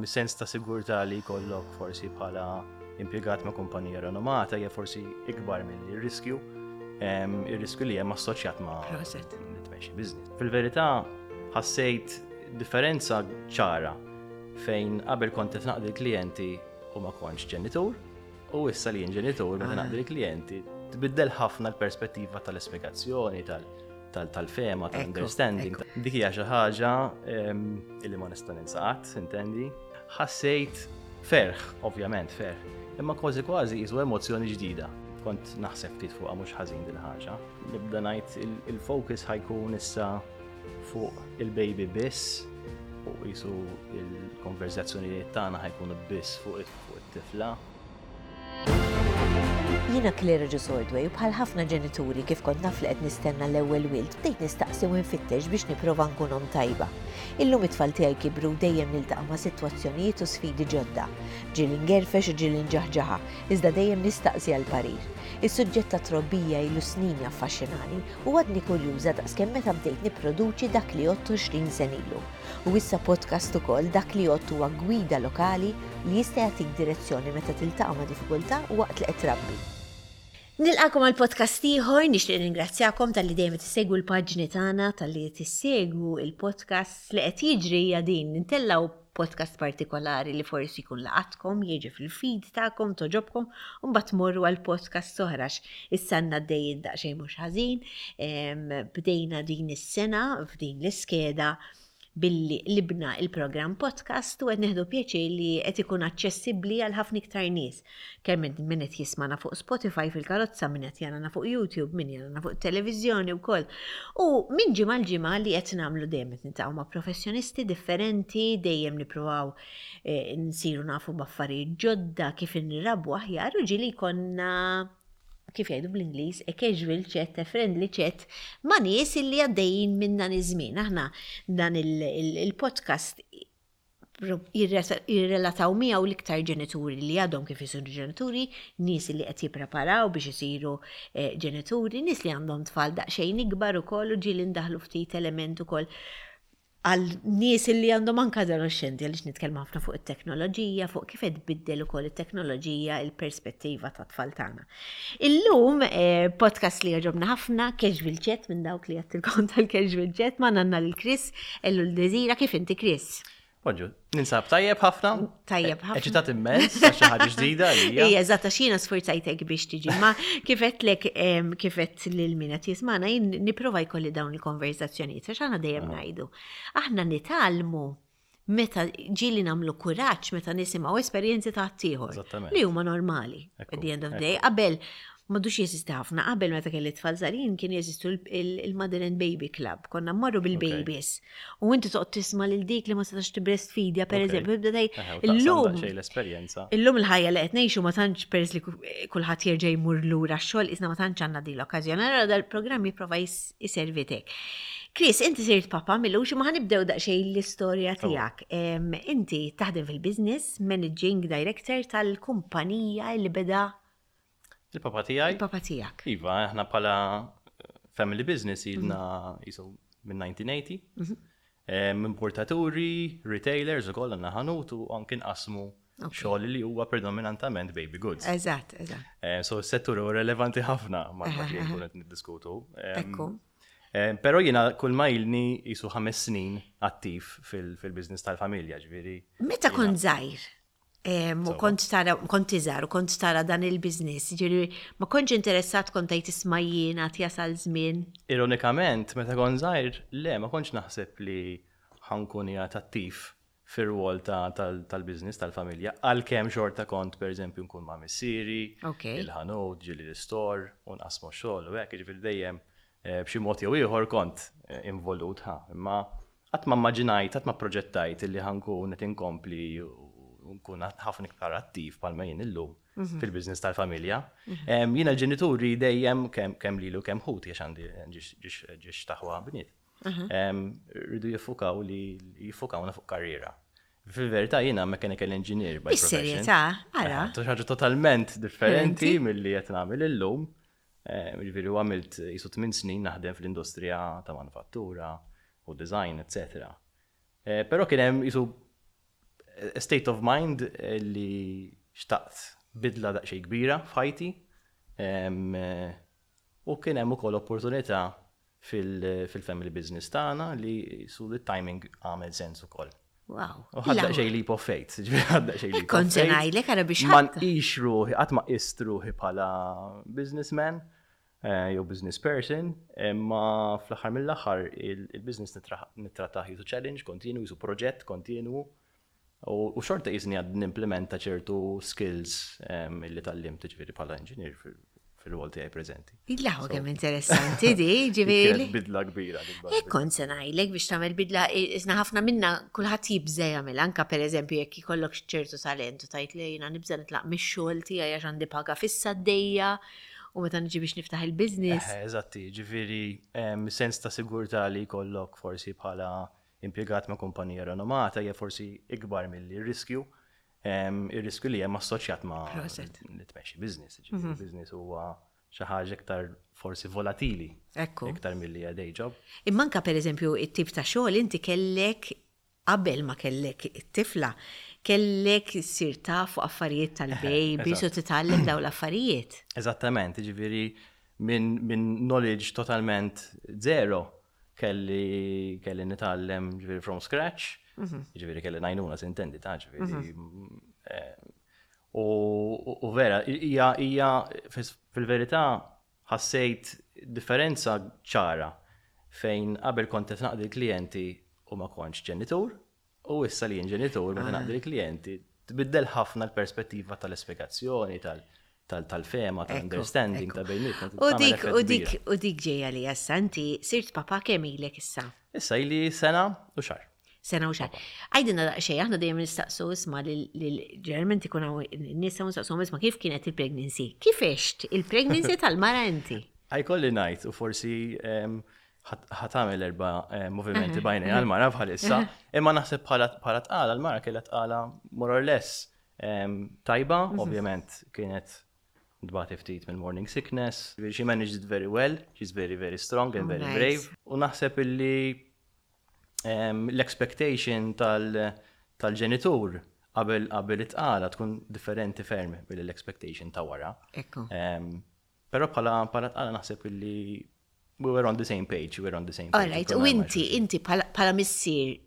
Is-sens ta' sigurtà li jkollok forsi bħala impjegat ma' kumpanija renomata hija forsi ikbar milli r-riskju, ir-riskju li hemm assoċjat ma' li tmexxi business. Fil-verità ħassejt differenza ċara fejn qabel kont qed naqdi l-klijenti u ma kontx ġenitur, u issa li jien ġenitur meta naqdi l-klijenti tbiddel ħafna l-perspettiva tal-ispjegazzjoni, tal-fehma, tal-understanding. Dik hija xi ħaġa illi ma nista' ninsa qatt, intendi. Ħassejt ferħ, ovvjament ferħ, imma kważi kważi qisu emozzjoni ġdida. Kont naħseb ftit fuqha mhux ħażin din ħaġa. Nibda ngħid il-focus ħa jkun issa fuq il-baby biss u qisu il-konverzazzjonijiet tagħna ħa jkunu biss fuq it-tifla. Jiena Claire Agius Ordway u bħal ħafna ġenituri kif kont naf li qed nistenna l-ewwel wild bdejt nistaqsi u nfittex biex nipprova nkun omm tajba. Illum it-tfal tiegħi kibru u dejjem niltaqa' ma' sitwazzjonijiet u sfidi ġodda. Ġieli ngerfex u ġieli nġaħġaħa, iżda dejjem nistaqsi għal parir. Is-suġġett tat-trobbija ilu snin jaffaxxinani u għadni kurjuża daqskemm meta bdejt nipproduċi Dak li Għodt 20 sena ilu. U issa podcast ukoll, Dak li Għodt huwa gwida lokali li jista' jagħtik direzzjoni meta tiltaqa' ma' diffikultà waqt li qed trabbi. Nilqagħkom għal podcast ieħor, nixtieq nirringrazzjakom talli dejjem qed issegwu l-paġni tagħna, talli qed issegwu il-podcasts li qed jiġri hija din, intellgħu podcast partikolari li forsi jkun laqatkom, jiġi fil-feed tagħkom, togħġobkom, u mbagħad tmorru għal podcasts oħra għax issa għandna għaddejjin daqsxejn mhux ħażin. Bdejna din is-sena f'din l-iskeda billi qlibna il-programm podcast u qed nieħdu pjaċir li qed ikun aċċessibbli għal ħafna iktar nies. Kemm min qed jismana fuq Spotify fil-karozza, min qed jarana fuq YouTube, min jarana fuq televiżjoni wkoll. U minn ġimgħa l ġimgħa li qed nagħmlu dejjem qed niltaqgħu ma' professjonisti differenti, dejjem nippruvaw eh, nsiru nafu b'affarijiet ġodda kif inrabbu aħjar u ġieli jkollna kif jgħidu bl-Ingliż, a casual chat, a friendly chat, ma' nies illi għaddejjin minn dan iż-żmien. Aħna dan il-podcast jirrelataw miegħu l-iktar ġenituri li għadhom kif isiru ġenituri, nies li qed jippreparaw biex isiru eh, ġenituri, nies li għandhom tfal daqsxejn ikbar ukoll u ġieli ndaħlu ftit element ukoll għal nies li għandhom anke adolescenti għaliex nitkellmu ħafna fuq it-teknoloġija, fuq kif qed tbiddel ukoll it-teknoloġija il-perspettiva ta' tfal tagħna. Illum eh, podcast li jogħġobna ħafna, casual chat minn dawk li għattilkom tal-casual chat ma nanna lil Chris, ellu l-Desira, kif inti Chris? Bonġu, ninsab tajjeb ħafna. Tajjeb ħafna. Eċitat immens, għax xi ħaġa ġdida għalija. Ija, eżatt, għax jiena sfurzajtek biex tiġi. Ma kif għedtlek, kif għedt lil min qed jismagħna, jien nipprova jkolli dawn il-konversazzjonijiet, għax aħna dejjem ah. ngħidu. Aħna nitgħallmu meta ġieli nagħmlu kuraġġ meta nisimgħu esperjenzi ta' ħaddieħor. Li huma normali. At the end of the day, qabel M'għadux jeżisti ħafna. Qabel meta kelli tfal żgħarin kien jeżistu il-Mother and Baby Club. Konna mmorru bil-babies. U inti toqgħod tisma' lil dik li ma setax tibreastfeedja pereżempju, tibda tgħid illum. l-esperjenza. Illum il-ħajja li qed ngħixu ma tantx peress li kulħadd jerġa' jmur lura x-xogħol isna ma tantx għandna din l-okkażjoni. Allura dal-programm jipprova jservi tek. Chris, inti sirt papa milux ma ħanibdew daqsxejn l-istorja tiegħek. Inti taħdem fil-business, managing director tal-kumpanija li beda Il-papa tiegħi. Il-papa tiegħek. Iva, aħna bħala family business ilna mhm. jisu minn 1980. Mhm. Importaturi, retailers u koll għandna ħanut u anki nqasmu xogħol li huwa predominantament baby goods. Eżatt, eżatt. Eh, so s-settur huwa relevanti ħafna ma dak li nkun qed niddiskutu. Ekku. Però jiena kull ma ilni jisu ħames snin attiv fil-business tal-familja, ġifieri. Meta kont żgħir, U kont tara, kont iżgħar u kont tara dan il-biznis, ġiri, ma kontx interessat kont tgħid isma' jiena jasal żmien. Ironikament, meta kont żgħir, le, ma kontx naħseb li ħankun qiegħed attiv fir-rwol tal-biznis tal-familja, għalkemm xorta kont pereżempju nkun ma' missieri, il-ħanut, ġieli l-istor, u nqasmu x-xogħol u hekk, jiġifieri dejjem eh, b'xi mod jew ieħor kont eh, involut ħa, imma Qatt ma mmaġinajt, qatt ma pproġettajt illi ħa nkun qed inkompli u nkun ħafna iktar attiv bħalma jien illum mhm. fil-business tal-familja. Mhm. Jiena l-ġenituri dejjem kemm lilu kemm ħuti għax għandi ġiex taħwa bniet. Mhm. Rridu jiffukaw li jiffukawna fuq karriera. Fil-verità jiena mechanical engineer by profession. Is-serjetà, ara. Ħaġa totalment differenti milli qed nagħmel illum. Jiġifieri u għamilt qisu tminn snin naħdem fl-industrija ta' manufattura u design, eċċetera. Però kien hemm qisu a state of mind li xtaqt bidla daqsxejn kbira f'ħajti. U kien hemm ukoll opportunità fil-family business tagħna li su li timing għamel sens ukoll. Wow. U ħadt daqsxejn leap of faith, ġifieri ħadt daqsxejn leap of faith. Kont se ngħidlek ara biex Ma nqix ruħi, qatt ma qist ruħi bħala businessman eh, jew business person, imma fl-aħħar mill-aħħar il-business nittrattah jisu challenge kontinu, jisu proġett kontinu. U xorta jisni għad nimplementa ċertu skills ehm, li tal-lim ġifieri bħala engineer fil-rol tiegħi preżenti. Illaħu kemm interessanti di, ġifieri. Bidla kbira. Hekk kont se ngħidlek biex tagħmel bidla, isna ħafna minna kulħadd jibża jagħmel anka pereżempju jekk ikollok ċertu talent u tajt li jiena nibża nitlaq mix-xogħol tiegħi għax għandi paga fissa d-dejja u meta niġi biex niftaħ il-business. Eżatti, ġifieri ehm, sens ta' sigurtà li jkollok forsi bħala impjegat ma' kumpanija renomata hija forsi ikbar milli r-riskju, ir-riskju li hemm assoċjat ma' li tmexxi business. Ġifieri mhm. business huwa xi ħaġa iktar forsi volatili. Ekku. Iktar milli hija day job. Imma anke pereżempju it-tip ta' xogħol inti kellek qabel ma kellek it-tifla, kellek issir taf fuq affarijiet tal-baby, u titgħallem dawn l-affarijiet. Eżattament, ġifieri minn min knowledge totalment zero kelli kelli nitgħallem ġifieri from scratch, mhm. ġifieri kelli najnuna sintendi ta' ġifieri. Mhm. Eh, u vera, hija hija fil-verità ħassejt differenza ċara fejn qabel kont qed naqdi l-klijenti u ma kontx ġenitur, U issa li jien ġenitur, meta naqdi l-klijenti, tbiddel ħafna l-perspettiva tal-ispjegazzjoni, tal-fehma, tal-understanding ta' bejnietna. U dik, u dik, u dik ġejja li issa inti sirt papa kemm ilek issa? Issa ili sena u xahar. Sena u xahar. Għidilna daqsxejn, aħna dejjem nistaqsu isma' lil ġeneralment ikun hawn nisa u nistaqsuhom isma' kif kienet il-pregnancy? Kif għext il-pregnancy tal-mara inti? Ħajkolli ngħid u forsi ħa tagħmel erba' eh, movimenti bajni għal-mara bħalissa, imma naħseb bħala tqala l-mara kellha tqala more or less tajba, mhm. ovvjament kienet dbati ftit minn morning sickness. She managed it very well, she's very very strong and oh, very brave. U naħseb illi l-expectation tal-ġenitur qabel qabel it-tqala tkun differenti ferm mill-expectation ta' wara. Però bħala bħala tqala naħseb illi we were on the same page, we were on the same page. All right, u inti, inti bħala missier,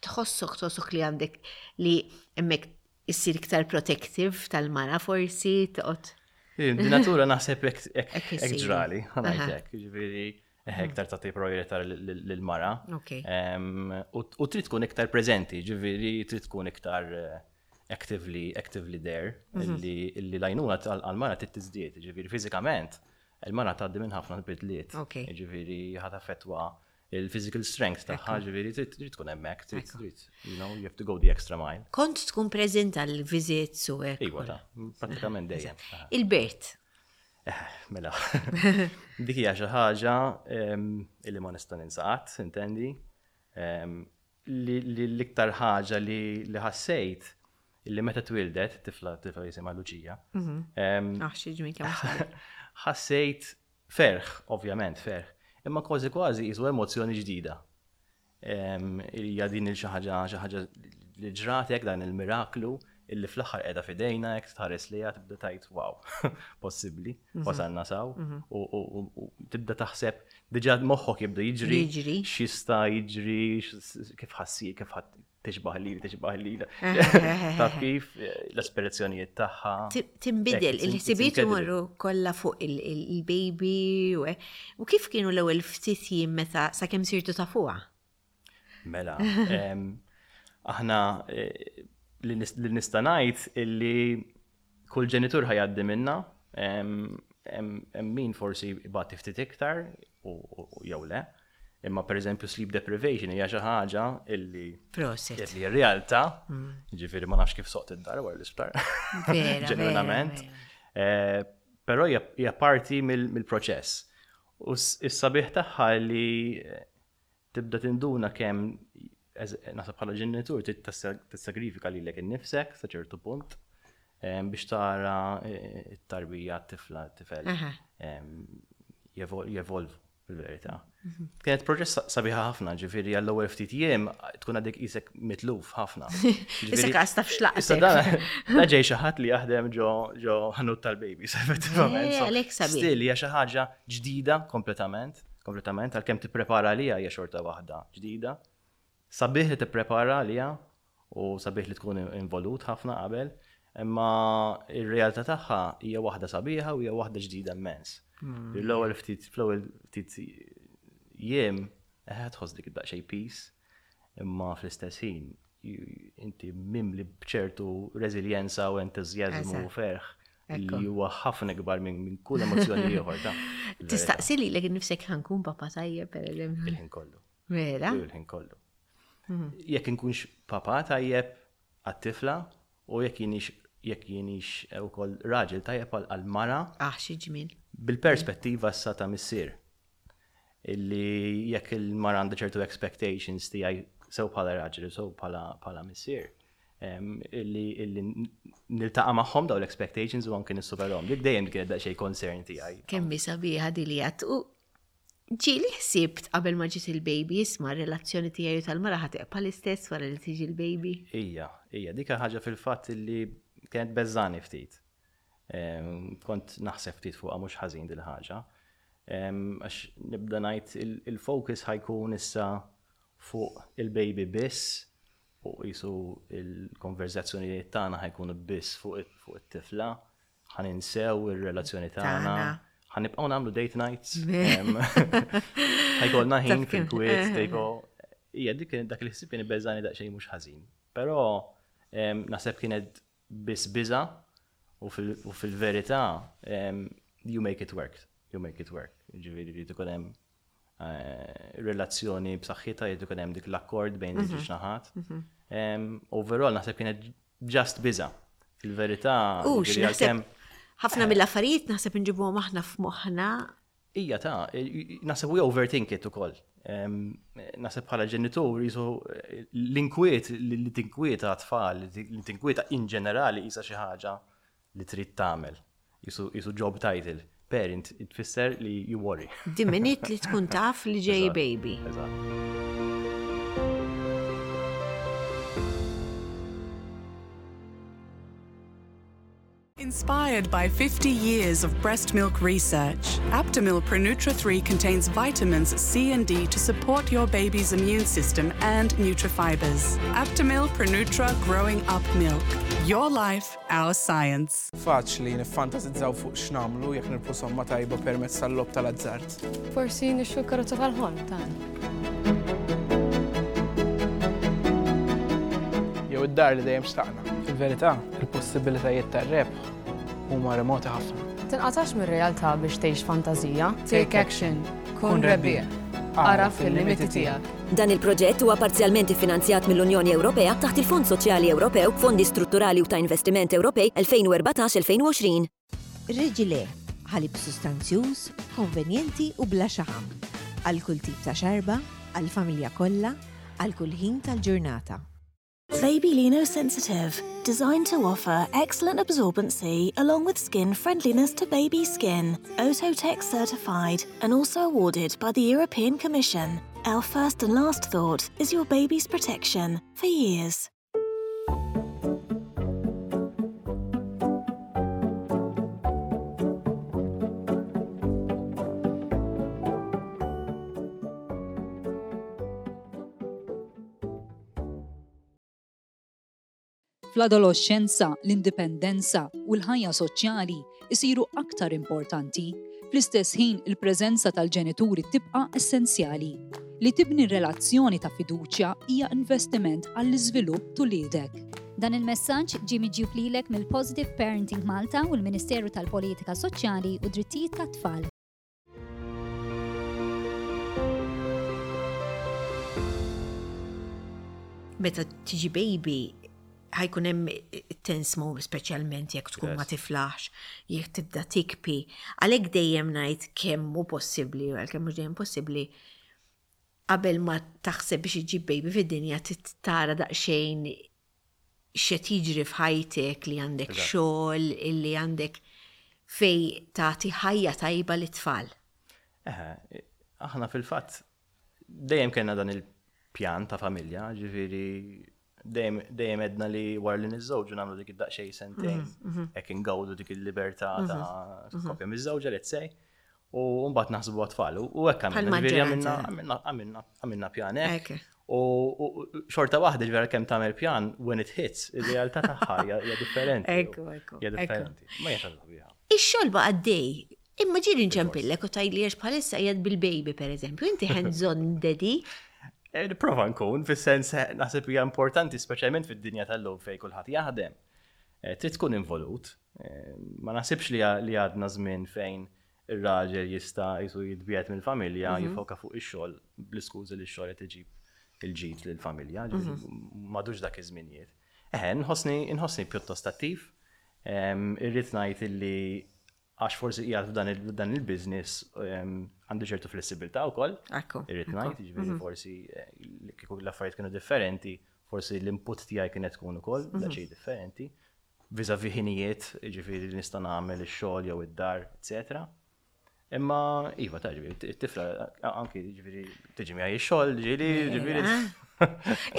tħossok tħossok li għandek li hemmhekk issir iktar protective tal-mara forsi toqgħod. Di natura naħseb hekk ġrali, ħanajtek, ġifieri eh, iktar tagħti priorità lill-mara. U trid tkun iktar preżenti, ġifieri trid tkun iktar eh, actively, actively there, mhm. li l-għajnuna għal-mara trid tiżdied, ġifieri fiżikament il-mara tgħaddi minn ħafna bidliet. Ġifieri ħa taffettwa il-physical strength tagħha, ġifieri trid tkun hemmhekk, trid trid, you know, you have to go the extra mile. Kont tkun preżent għal visits u hekk. Iva, ta' pratikament dejjem. Il-Bert. Eh, mela. Dik hija xi ħaġa illi ma nista' ninsa qatt, intendi. Li l-iktar ħaġa li ħassejt illi meta twildet, tifla tifla jisimha Luċija. Mhm. Ah, xi ġmien kemm Ħassejt ferħ, ovvjament ferħ, imma kważi kważi jisu emozzjoni ġdida. Hija din il xi ħaġa xi ħaġa li ġratek dan il-miraklu illi fl-aħħar qiegħda f'idejna jekk tħares lejha tibda tgħid wow, possibbli, mhm. wasalna saw mhm. u tibda taħseb diġà moħħok jibda jiġri, x'jista' jiġri, kif ħassi, kif ħadd tixbaħ li, tixbaħ li. Taf kif l-aspirazzjonijiet tagħha. Tinbidel, il-ħsibiet imorru kollha fuq il-baby u kif kienu l-ewwel ftit jiem meta sakemm sirtu tafuha? Mela, aħna eh, li nista' ngħid illi kull ġenitur ħajaddi minna, hemm min forsi ibati ftit iktar u jew le. Imma per eżempju sleep deprivation hija xi ħaġa illi Proset. Illi realtà, mm. ġifieri ma nafx kif soqt id-dar wara l-isptar. Ġenwinament. Eh, però hija parti mill-proċess. U s-sabiħ tagħha li eh, Tibda tinduna kemm naħseb bħala ġenitur trid tissagrifika lilek innifsek sa ċertu punt biex tara t-tarbija, t-tifla, t-tifel jevolvu. Fil-verità. Mhm. Kienet proċess sabiħa ħafna, ġifieri għall-ewwel ftit jiem tkun għadek isek mitluf ħafna. Isek għas taf xlaqtek. Issa da ġej xi ħadd li jaħdem ġo ġo ħanut tal-babies, effettivament. Eh, għalhekk sabiħ. Still hija xi ħaġa ġdida kompletament, kompletament għalkemm tipprepara għaliha hija xorta waħda ġdida. Sabiħ li tipprepara għaliha u sabiħ li tkun involut ħafna qabel, imma ir-realtà tagħha hija waħda sabiħa u hija waħda ġdida immens. Hmm. L-ewwel ftit fl-ewwel ftit jiem eħe tħoss dik daqsxejn peace, imma fl-istess ħin inti mimli b'ċertu reżiljenza u entużjażmu u ferħ li huwa ħafna ikbar minn kull emozzjoni ieħor ta' Tistaqsi lilek innifsek ħankun papa tajjeb pereżempju. Il-ħin kollu. Vera? Il-ħin kollu. Mhm. Jekk inkunx papa tajjeb għat-tifla u jekk jienix jekk jienix ukoll raġel tajjeb għal-mara. Ah, xi ġmiel. Bil-perspettiva issa ta' missier. Illi jekk il-mara għandha ċertu expectations tiegħi sew bħala raġel sew bħala missier. Illi illi niltaqa' magħhom daw l-expectations u anke nissuperhom. Dik dejjem kienet daqsxejn concern tiegħi. Kemm sabiħa di li għat Ġieli ħsibt qabel ma ġiet il-baby, isma' r-relazzjoni tiegħi u tal-mara ħa tibqa' l-istess wara li tiġi l-baby? Ija, ija, dik ħaġa fil-fatt li kienet beżżani ftit. Kont naħseb ftit fuqha mhux ħażin dil-ħaġa. Għax nibda ngħid il-focus ħa jkun issa fuq il-baby biss u qisu il-konverżazzjonijiet tagħna ħa jkunu biss fuq it-tifla. Ħa ninsew ir-relazzjoni tagħna. Ħa nibqgħu nagħmlu date nights. Ħa jkollna ħin fil-kwiet, tipo. Ija, dik dak il-ħsieb kien ibeżani daqsxejn mhux ħażin. Però naħseb kienet biss biża u fil-verità you make it work. You make it work. Ġifieri jrid ikun hemm eh, relazzjoni b'saħħitha jrid ikun hemm dik l-akkord bejn mhm. iż-żewġ naħat. Mhm. Overall naħseb kienet Just biża'. Fil-verità, U x'naħseb ħafna mill-affarijiet naħseb inġibuhom aħna f'moħħna. Ija ta' naħseb we overthink it ukoll. Naħseb bħala ġenitur jisu l-inkwiet li tinkwieta tfal, li tinkwieta in ġenerali jisa xi ħaġa li trid tagħmel. Jisu job title. Parent tfisser li you worry. The minute li tkun taf li ġej baby. Eżatt. Inspired by 50 years of breast milk research, Aptamil Pronutra 3 contains vitamins C and D to support your baby's immune system and nutrifibers. Aptamil Pronutra Growing Up Milk. Your life, our science. Faċli niffantasizzaw fuq x'nagħmlu jekk nirbħu somma tajba permezz tal-logħob tal-azzard. Forsi nixtru l-karozza tal-ħolm tagħna. Jew id-dar li dejjem xtaqna. Fil-verità, il-possibilitajiet tar-rebħ huma remoti ħafna. Tinqatax mir-realtà biex tgħix fantażija. Take action. Kun rebbieħ. Agħraf il-limiti tiegħek. Dan il-proġett huwa parzjalment iffinanzjat mill-Unjoni Ewropea taħt il-Fond Soċjali Ewropew, Fondi Strutturali u ta' Investiment Ewropej 2014-2020. Regilé, ħalib sustanzjuż, konvenjenti u bla xaħam. Għal kull tip ta' xarba, għall-familja kollha, għal kull ħin tal-ġurnata. Baby Sensitive, designed to offer excellent absorbency along with skin friendliness to baby skin. Ototec certified and also awarded by the European Commission. Our first and last thought is your baby's protection for years. Fl-adoloxxenza, l-indipendenza u l-ħajja soċjali jsiru aktar importanti. Fl-istess ħin, il-preżenza tal-ġenituri tibqa' essenzjali. Li tibni relazzjoni ta' fiduċja hija investiment għall-iżvilupp t'uliedek. Dan il-messaġġ ġie miġjub lilek mill-Positive Parenting Malta u l-Ministeru tal-Politika Soċjali u Drittijiet tat-Tfal. Meta tiġi baby, ħajkun hemm tense moment speċjalment jekk tkun ma tiflaħx, jekk tibda tikpi. Għalhekk dejjem ngħid kemm hu possibbli, għalkemm mhux dejjem possibbli, qabel ma taħseb biex iġġib baby fid-dinja tara daqsxejn x'qed jiġri f'ħajtek, li għandek xogħol, li għandek fej tagħti ħajja tajba lit-tfal. Eħe, Aħna fil-fatt dejjem kellna dan il-pjan ta' familja, ġifieri dejjem edna li wara li niżżewġu nagħmlu dik id-daqsxejn sentejn, hekk ingawdu dik il-libertà ta' koppja miżżewġa let's say. U mbagħad naħsbu għat-tfal. U hekk għamilna, ġifieri għamilna għamilna għamilna pjan hekk. U xorta waħda ġifieri kemm tagħmel pjan when it hits, ir-realtà tagħha hija differenti. Ekku, ekku. Hija differenti. Ma hija xi ħaġa Ix-xogħol baqa' għaddej. Imma ġieli nċempillek u tgħidli għax bħalissa qiegħed bil-baby pereżempju, inti hands-on daddy. Eh, nipprova nkun, fis-sens eh, naħseb hija importanti speċjalment fid-dinja tal-lum fejn kulħadd jaħdem. Eh, trid tkun involut. Ma naħsibx li għadna żmien fejn ir-raġel jista' jisu jitbiegħed mill-familja, jifoka fuq ix-xogħol bl-iskużi li x-xogħol qed iġib il-ġid lill-familja, m'għadux dak iż-żminijiet. Eħe, nħossni nħossni pjuttost attiv. Irrid ngħid illi għax forsi qiegħed f'dan il-business għandi ċertu flessibilità wkoll. Irrid ngħid, jiġifieri forsi kieku l-affarijiet kienu differenti, forsi l-input tiegħi kienet tkun ukoll daqsxejn differenti. Vis-à-vis ħinijiet, jiġifieri li nista' nagħmel ix-xogħol jew id-dar, eċetera. Imma iva ta' ġifieri it-tifla anki ġifieri tiġi miegħi x-xogħol, ġieli, ġifieri.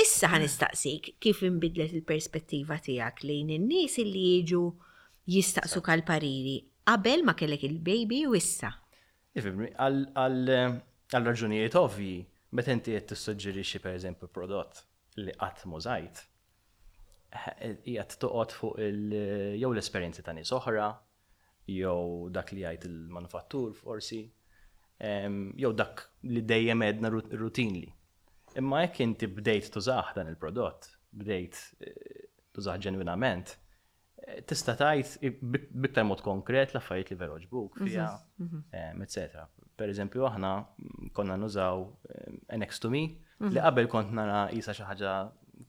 Issa ħa nistaqsik kif inbidlet il-perspettiva tiegħek lejn in-nies li jiġu jistaqsuk għal pariri qabel ma kellek il-baby u issa. Ifhimni, għal raġunijiet ovvji, meta inti qed tissuġġerixxi pereżempju prodott li qatt m'użajt, qiegħed toqgħod fuq jew l-esperjenzi ta' nies oħra, jew dak li jgħid il-manufattur forsi, jew dak li dejjem għedna routinely. Imma jekk inti bdejt tużah dan il-prodott, bdejt eh, tużah ġenwinament, eh, tista' tgħid b'iktar mod konkret l-affarijiet li veru ġbuk mhm, fiha, mhm. eccetera. Per eżempju, aħna konna nużaw NX to me, li mhm. qabel kont nara jisa xi ħaġa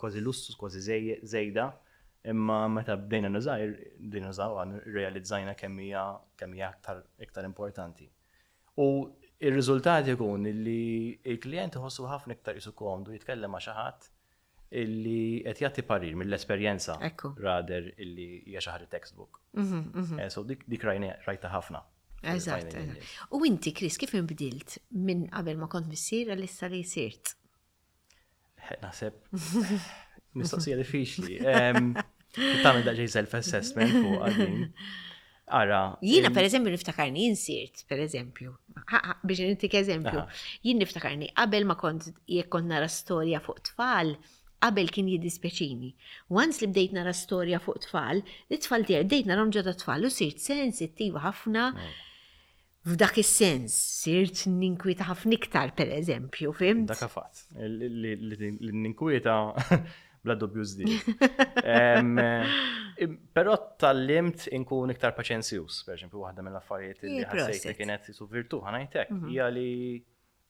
kważi lussu, kważi żejda, Imma meta bdejna nużaw, bdejna nużawha, rrealizzajna kemm hija kemm hija aktar iktar importanti. U r-riżultat ikun li l-klijent iħossu ħafna iktar qisu komdu jitkellem ma' xi ħadd illi qed jagħti parir mill-esperjenza rather illi hija xi ħaġa textbook. So dik dik rajtha ħafna. Eżatt. U inti, Chris, kif inbdilt minn qabel ma kont missier għal issa li sirt? Naħseb mistoqsija diffiċli. Tagħmel daqsxejn self-assessment fuq għadin. Ara. Jiena per eżempju niftakarni insirt, per eżempju, biex nintik eżempju, jien niftakarni qabel ma kont jekk kont nara storja fuq tfal, qabel kien jiddispjaċini. Once li bdejt nara storja fuq tfal, it-tfal tiegħi bdejt narahom ġodda tfal u sirt sensittiva ħafna. F'dak is-sens, sirt ninkwieta ħafna iktar, per eżempju, fhimt? Dak fatt. Li ninkwieta bla dubju żdied. Però tgħallimt inkun iktar paċenzjuż, per eżempju, waħda mill-affarijiet li ħassejt li kienet su virtù ħa ngħid hekk, mhm. hija li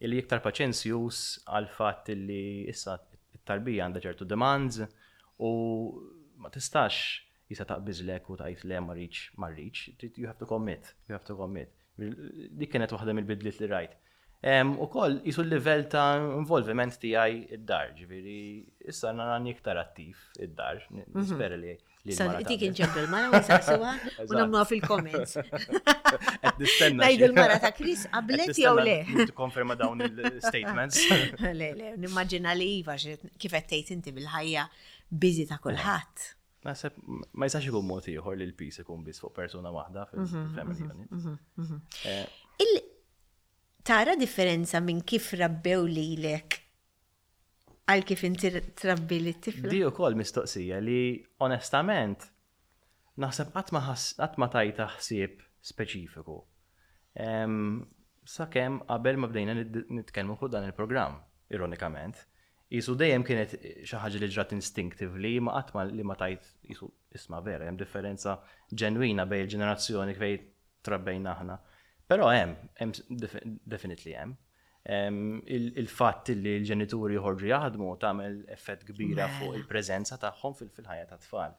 li iktar paċenzjuż għal fatt li issa t-tarbija għandha ċertu demands u ma tistax Jista' taqbiżlek u tgħid le ma rridx, ma rridx, you have to commit, you have to commit. Dik kienet waħda mill-bidliet li rajt. Ukoll qisu l-livell ta' involviment tiegħi id-dar, ġifieri issa narani iktar attiv id-dar, mhm. nispera li Sa dik inġempu l-mara u nsaqsuha u nagħmluha fil-comments. Qed nistenna. Ngħidu l-mara ta' Chris qablet jew le. Tikkonferma dawn il-statements. Le, le, nimmaġina li iva kif qed tgħid inti bil-ħajja busy ta' kulħadd. Naħseb ma jistax ikun mod ieħor li l-peace ikun biss fuq persuna waħda mhm, fil-family mhm, unit. Mhm, eh. Tara differenza minn kif rabbew lilek għal kif inti trabbi li tifla? Di ukoll mistoqsija li onestament naħseb qatt ma tajta ħsieb speċifiku. Sakemm qabel ma bdejna nitkellmu fuq dan il-programm, ironikament. Qisu dejjem kienet xi ħaġa li ġrat instinctively imma qatt ma li ma tgħid qisu isma' vera hemm differenza ġenwina bejn il-ġenerazzjoni fejn trabbejna aħna. Però hemm, hemm definitely hemm. Il-fatt li l-ġenituri joħorġu jaħdmu tagħmel effett kbira fuq il-preżenza tagħhom fil-ħajja tat-tfal.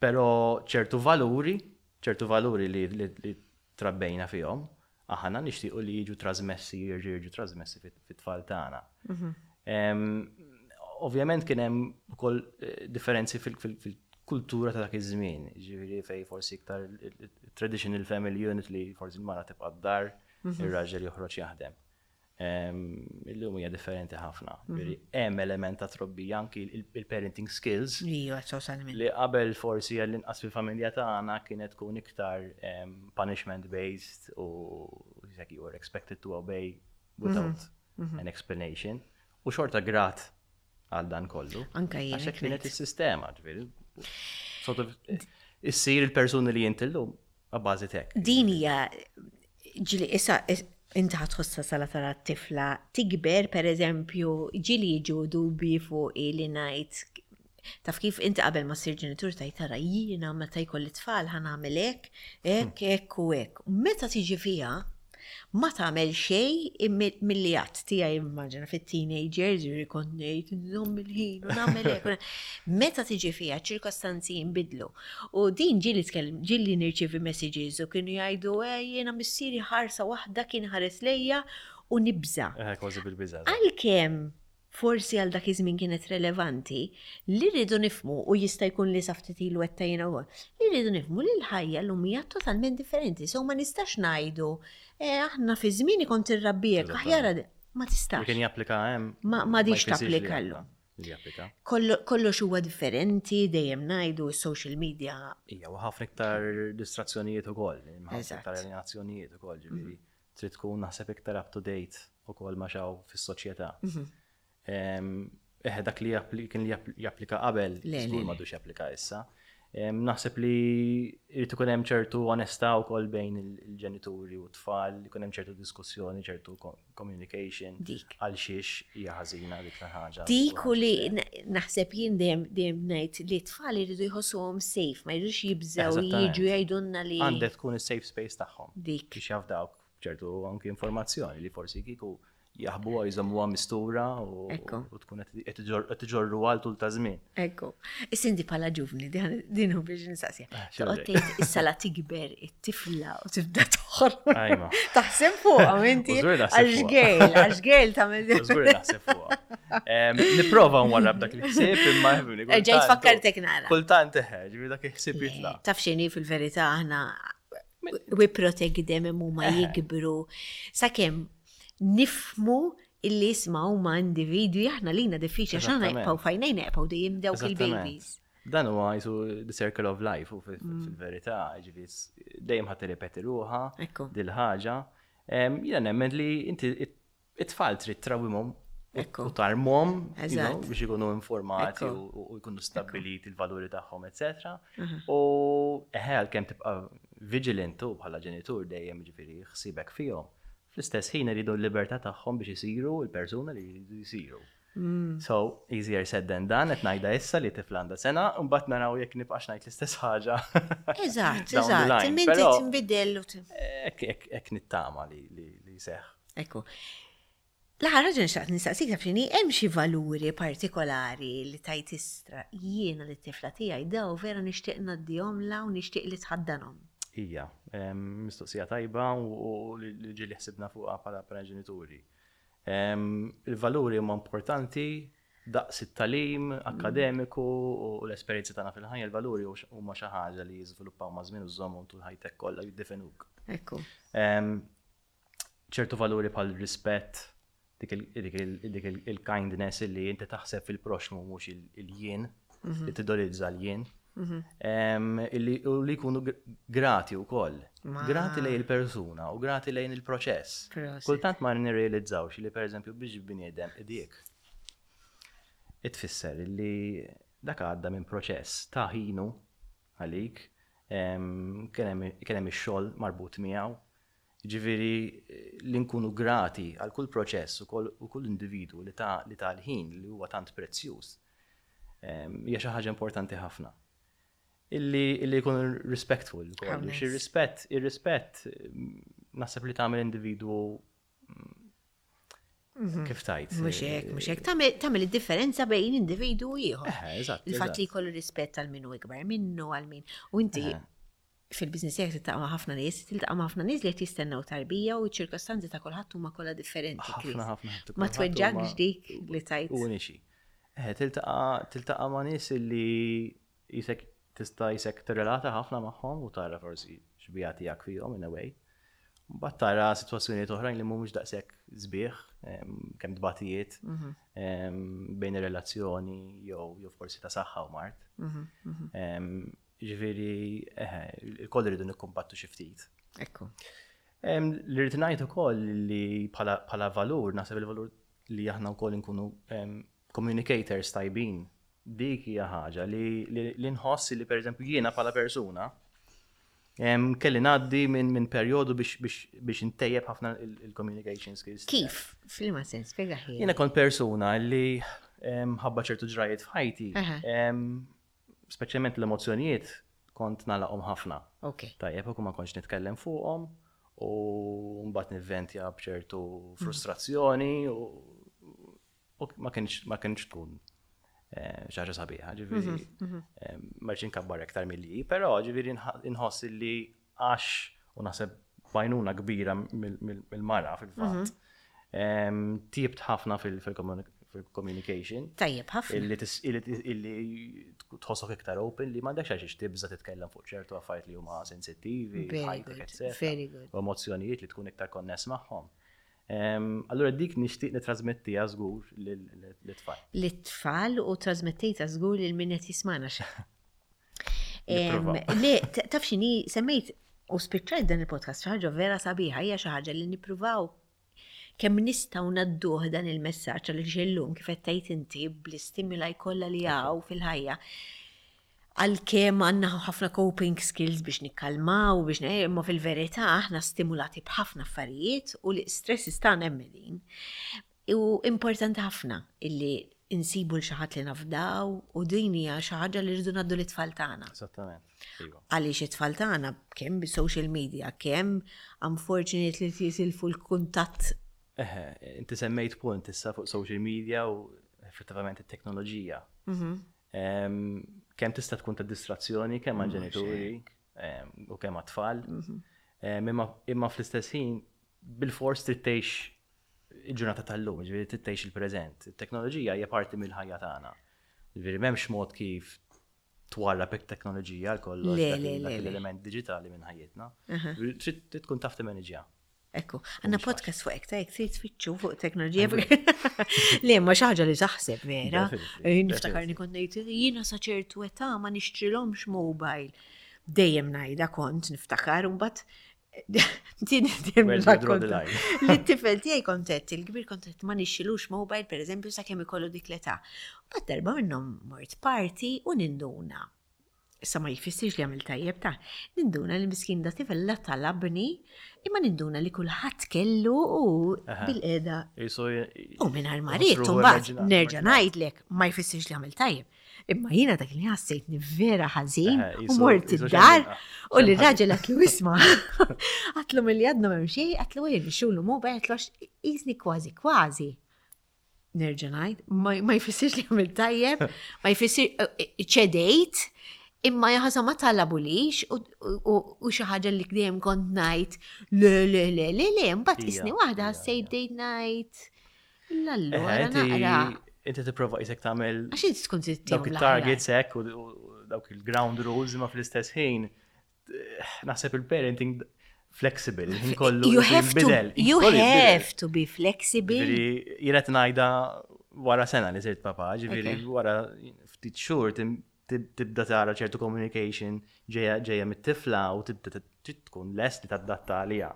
Però ċertu valuri, ċertu valuri li li trabbejna fihom, aħna nixtiequ li jiġu trasmessi, jerġgħu jiġu trasmessi fit-tfal tagħna. Ovvjament kien hemm ukoll eh, differenzi fil-kultura ta' dak iż-żmien, ġifieri fej forsi iktar traditional family unit li forsi l-mara tibqa' d-dar. Ir-raġel joħroġ jaħdem. Illum hija differenti ħafna. Mhm. Hemm element ta' trobbija anki il-parenting skills. Iva, totalment. Li qabel forsi għall-inqas fil-familja tagħna kienet tkun iktar punishment based u you were expected to obey without mhm. Mhm. an explanation. U xorta grat għal dan kollu. Anka jien. Għax kienet is-sistema, ġifieri. Sort of issir il-persuni li inti llum għabbażi tek. Din hija ġili issa inti ħatħossa sala tara t-tifla tikber, per eżempju, ġili jiġu dubi fuq li ngħid taf kif inti qabel ma ssir ġenitur tajt tara jiena meta jkolli tfal ħa nagħmel hekk, hekk, hekk u hekk. Meta tiġi fiha, Ma tagħmel xejn milli għadt tiegħi immaġina fit-teenagers jiġri kont ngħid nżomm il-ħin u nagħmel hekk. Meta tiġi fiha ċirkostanzi jinbidlu. U din ġieli tkellem ġieli nirċievi messages u kienu jgħidu eh, jiena missieri ħarsa waħda kien ħares lejja u nibża'. Eh, kważi bil-biża'. Għalkemm forsi għal dak iż-żmien kienet relevanti, li rridu nifhmu, u jista' jkun li sa ftit ilu għedtha jiena wkoll, li rridu nifhmu li l-ħajja llum hija totalment differenti. So ma nistax ngħidu, eh, aħna fi żmieni kont irrabbi hekk, aħjar ma tistax. Li kien japplika hemm. Ma m'għadix tapplika llum. Kollox huwa differenti, dejjem ngħidu s-social media. Ija, u ħafna iktar distrazzjonijiet ukoll, ħafna iktar alienazzjonijiet ukoll, ġifieri. Mhm. Trid tkun naħseb iktar up to date ukoll ma' x'hawn fis-soċjetà. Eħe dak li kien li japplika qabel, żgur m'għadux japplika issa. Naħseb li jrid ikun hemm ċertu onestà wkoll bejn il-ġenituri u t-tfal, ikun hemm ċertu diskussjoni, ċertu communication. Dik. Għal xiex hija ħażina dik l-ħaġa. Dik u li naħseb jien dejjem dejjem ngħid li t-tfal iridu jħossuhom safe, ma jridux jibżgħu jiġu jgħidulna li. Għandek tkun is-safe space tagħhom. Dik. Biex jafdawk ċertu anki informazzjoni li forsi kieku jaħbuha jżommuha mistura u tkun qed iġorru għal tul ta' żmien. Ekku. Issa inti bħala ġuvni, din hu biex nistaqsija. Eh, Toqgħod tgħid issa la tikber it-tifla u tibda toħroġ. Taħseb fuqha inti. Għax gejl, għax gejl tagħmel. Żgur naħseb fuqha. Nipprova nwarrab dak il-ħsieb imma Ġejt fakkartek nara. Kultant eħe, ġifieri dak il-ħsieb jitla'. Taf x'inhi fil-verità aħna we protect them imma huma eh. jikbru. Sakemm nifmu illi isma' huma individwi aħna lina diffiċli għax aħna jibqgħu fajnejn jibqgħu dejjem dawk il-babies. Dan huwa jisu the circle of life u mm. fil-verità, ġifieri dejjem ħadd tirrepeti ruħha dil-ħaġa. Jiena nemmen li inti It-tfal trid trawwimhom u tarmhom biex ikunu informati u jkunu stabbiliti l-valuri tagħhom, etc. Mhm. U eħe għalkemm tibqa' vigilant u bħala ġenitur dejjem ġifieri ħsibek fihom. Fl-istess ħin iridu l-libertà tagħhom biex isiru l-persuna li jridu jsiru. Mm. So, easier said than done, qed ngħidha issa li tifla għandha sena, u mbagħad naraw jekk nibqax ngħid l-istess ħaġa. Eżatt, eżatt, imma tinbidel. Hekk nittama li jseħħ. Ekku. L-aħħar ħaġa nixtaqt nistaqsik taf x'inhi, hemm xi valuri partikolari li tajt istra jiena lit-tifla tiegħi daw vera nixtieq ngħaddihomlha u nixtieq li tħaddanhom? Hija, mistoqsija tajba u li ġieli ħsibna fuqha bħala ġenituri. Il-valuri huma importanti daqs it-tagħlim akkademiku u l-esperjenzi tagħna fil-ħajja, il-valuri huma xi ħaġa li jiżviluppaw maż-żmien u żżommhom tul ħajtek kollha jiddefenuk. Ekku. Ċertu valuri bħal rispett, dik il-kindness li inti taħseb fil-proxmu mhux il-jien, mhm. li tidolizza l-jien. Mhm. U li jkunu grati u koll. Grati lejn il-persuna u grati lejn il-proċess. Kultant ma nirrealizzawx li per eżempju biex bniedem idik. Itfisser li dak għadda minn proċess ta' ħinu għalik, kien hemm ix-xogħol marbut miegħu, Jiġifieri li nkunu grati għal kull proċess u kull individwu li ta li ta l-ħin li huwa tant prezzjuż hija xi ħaġa importanti ħafna. Illi illi jkunu respectful ukoll. Biex ir-rispett, ir-rispett naħseb li tagħmel individwu mhm. kif tajt. Mhux hekk, mhux hekk. Tagħmel id-differenza bejn individwu u ieħor. Eh, eżatt. Il-fatt li jkollu rispett għal min hu ikbar minnu għal min. U inti fil-business tiegħek tiltaqa' ma' ħafna nies, tiltaqa' ma' ħafna nies li qed jistennew tarbija u ċ-ċirkostanzi ta' kulħadd huma kollha differenti. Ħafna, ħafna. Ma tweġġakx dik li tajt. Uniċi. Eh, tiltaqa' tiltaqa' ma' nies li jisek tista' jisek tirrelata ħafna magħhom u tara forsi xbija tiegħek fihom in a way. Mbagħad tara sitwazzjonijiet oħrajn li mhumiex daqshekk sbieħ, kemm tbatijiet bejn ir-relazzjoni jew forsi ta' saħħa u mard. Ġifieri, eħe, il-koll irridu nikkumbattu xi ftit. Ekku. Li rrid ngħid ukoll li bħala valur, naħseb il-valur li aħna wkoll nkunu communicators tajbin, dik hija ħaġa li nħoss li pereżempju jiena bħala persuna kelli ngħaddi minn perjodu biex intejjeb ħafna il-communication skills. Kif? F'liema sens, spjega ħin. Jiena kont persuna li ħabba ċertu ġrajiet f'ħajti, speċjalment l-emozzjonijiet kont nagħlaqhom ħafna. Tajjeb, u ma kontx nitkellem fuqhom u mbagħad nivventja b'ċertu frustrazzjoni u ma kienx tkun eh, xi ħaġa sabiħa, ġifieri eh, ma rridx inkabbar aktar milli, però ġifieri nħoss li għax u naħseb bajnuna kbira mill-mara fil-fatt. Tjibt ħafna fil-communication. Tajjeb ħafna. Illi tħossok iktar open li m'għandekx għalxiex tibża titkellem fuq ċertu affarijiet li huma sensittivi, ħajtek, etc. Very good. U emozzjonijiet li tkun iktar konness magħhom. Allura dik nixtieq nitrasmettiha żgur lit-tfal. Lit-tfal u trasmettejtha żgur lil min qed jismagħna. Le, taf x'inhi semmejt u spiċċajt dan il-podcast xi ħaġa vera sabiħa, hija xi ħaġa li nippruvaw kemm nistgħu ngħadduh dan il-messaġġ għaliex illum kif qed tgħid inti bl-istimuli kollha li hawn fil-ħajja għalkemm għandna ħafna coping skills biex nikkalmaw, biex imma fil-verità aħna stimulati b'ħafna affarijiet u l-stress tagħna hemm din. U importanti ħafna illi insibu l xi ħadd li nafdaw u din hija xi ħaġa li rridu ngħaddu lit-tfal tagħna. Esattament. Iva. Għaliex it-tfal tagħna kemm bis-social media, kemm unfortunately jisilfu l-kuntatt. Eħe, inti semmejt punt issa fuq social media u effettivament it-teknoloġija. Kemm tista' tkun ta' distrazzjoni kemm għall-ġenituri u kemm għat-tfal. Imma fl-istess ħin bil-fors trid tgħix il-ġurnata tal-lum, ġifieri trid tgħix il-preżent. It-teknoloġija hija parti mill-ħajja tagħna. Ġifieri m'hemmx mod kif twarrab it-teknoloġija għal kollox dak l-element diġitali minn ħajjitna. Trid tkun taf timaniġja. Ekku, għanna podcast fuq ekta, jek trid tfittxu fuq teknoloġija. Le, ma xaħġa li taħseb vera. Niftakar li kont ngħid jiena sa ċertu età ma nixtrilhomx mobile. Dejjem ngħidha kont niftakar u mbagħad Din Li t-tifel tiegħi kontet, il-kbir kontet ma nixxilux mobile pereżempju sakemm ikollu dik l-età. Bad darba minnhom mort party u ninduna. Issa ma jfissirx li għamil tajjeb ta' ninduna li miskin da tifel la talabni imma ninduna li kulħadd kellu u bil-qeda. U mingħajr ma ried mbagħad nerġa' ngħidlek ma jfissirx li għamil tajjeb. Imma jiena dak li ħassejtni vera ħażin u mort id-dar u li raġel għatlu isma. Għatlu mill-li għadna m'hemm xejn, għatlu għir xulu mu għatlu għax jisni kważi kważi. Nerġa' ngħid, ma jfissirx li għamil tajjeb, ma jfissir eh, eh, ċedejt, imma jaħasa ma talabulix u xi ħaġa li dejjem kont ngħid le le le le le, mbagħad isni waħda ħassejt bdejt ngħid L-allura naqra. Inti tipprova qisek tagħmel. Għax inti tkun trid dawk il-targets hekk u dawk il-ground rules imma fl-istess ħin naħseb il-parenting flexible, il-ħin kollu. You have to, you have to be flexible. Jiena qed ngħidha wara sena li sirt papa, ġifieri wara ftit xhur tibda tara ċertu communication ġejja mit-tifla u tibda trid tkun lest li tadatta għaliha.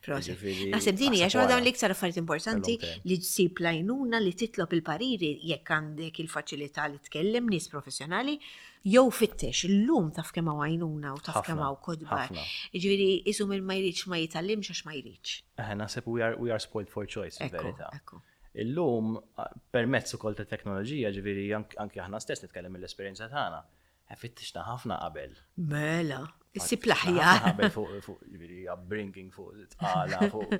Naħseb din hija xi waħda mill-iktar affarijiet importanti li ssib l-għajnuna li titlob il-pariri jekk għandek il-faċilità li tkellem nies professjonali jew fittex illum taf kemm hawn għajnuna u taf kemm hawn kotba. Jiġifieri isu min ma jridx ma jitgħallimx għax ma jridx. Naħseb we are, we are spoiled for choice fil-verità. Illum, permezz ukoll ta' teknoloġija, ġifieri anki aħna stess nitkellem mill-esperjenza tagħna, eh, fittixna ħafna qabel. Mela, issib l-aħjar. Qabel fuq ġifieri upbringing, fuq tqala, fuq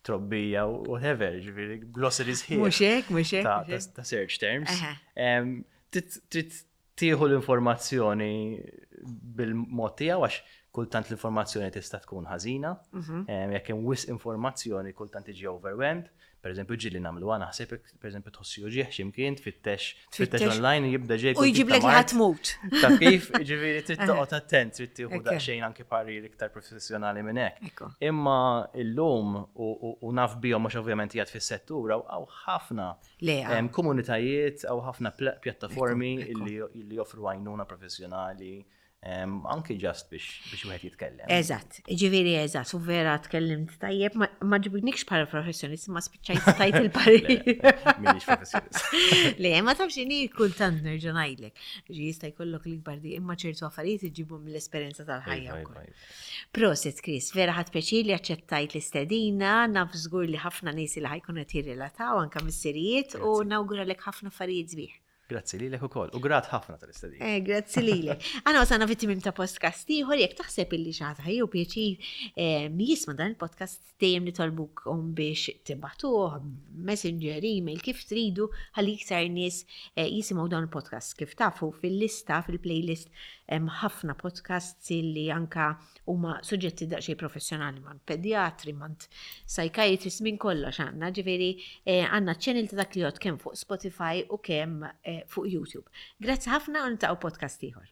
trobbija, whatever, ġifieri glossaries ħin. Mhux hekk, mhux hekk. Ta' search terms. Trid tieħu l-informazzjoni bil-mod tiegħu għax Kultant l-informazzjoni tista' tkun ħażina, mhm. jekk hemm wisq informazzjoni kultant tiġi overwhelmed. Per eżempju, ġieli nagħmluha naħseb, per eżempju, tħossi uġieħ x'imkien, tfittex, tfittex online jibda ġej. U jġiblek li ħatmut. Ta' kif, ġifieri trid toqgħod attent, trid tieħu daqsxejn anki parir iktar professjonali minn hekk. Imma illum u naf bihom mhux ovvjament qiegħed fis-settur hawn ħafna komunitajiet, hawn ħafna pjattaformi li joffru għajnuna professjonali Anki ġast biex wieħed jitkellem. Eżatt, ġifieri eżatt, u vera tkellimt tajjeb, ma ġibnikx bħala professjonist, ma spiċċajt tajt il-parir. Minix professjonist. Le, ma tafx ini kultant nerġa' ngħidlek. Ġi jista' jkollok l-ikbar di imma ċertu affarijiet iġibhom mill-esperjenza tal-ħajja iva, wkoll. Iva, iva. Prosit Chris, vera ħadt pjaċir li aċċettajt l-istedina, naf żgur li ħafna nies li ħajkunu qed jirrelataw anke missirijiet u nawguralek ħafna affarijiet sbieħ. Grazzi lilek ukoll u grat ħafna tal-istedina. Eh, grazzi lilek. Aħna wasalna fit-tmiem ta' podcast ieħor jekk taħseb illi xi ħadd ħajju pjaċir eh, jisma' dan il-podcast dejjem nitolbukom biex tibatuh, messenger, email, kif tridu ħalli iktar nies eh, jisimgħu dan il-podcast. Kif tafu fil-lista, fil-playlist hemm ħafna podcasts illi anka huma suġġetti daqsxejn professjonali man pedjatri, man psychiatrist, minn kollox għandna, ġifieri eh, għandna channel ta' dak li jgħod kemm fuq Spotify u kemm eh, fuq YouTube. Grazzi ħafna u niltaqgħu podcast ieħor.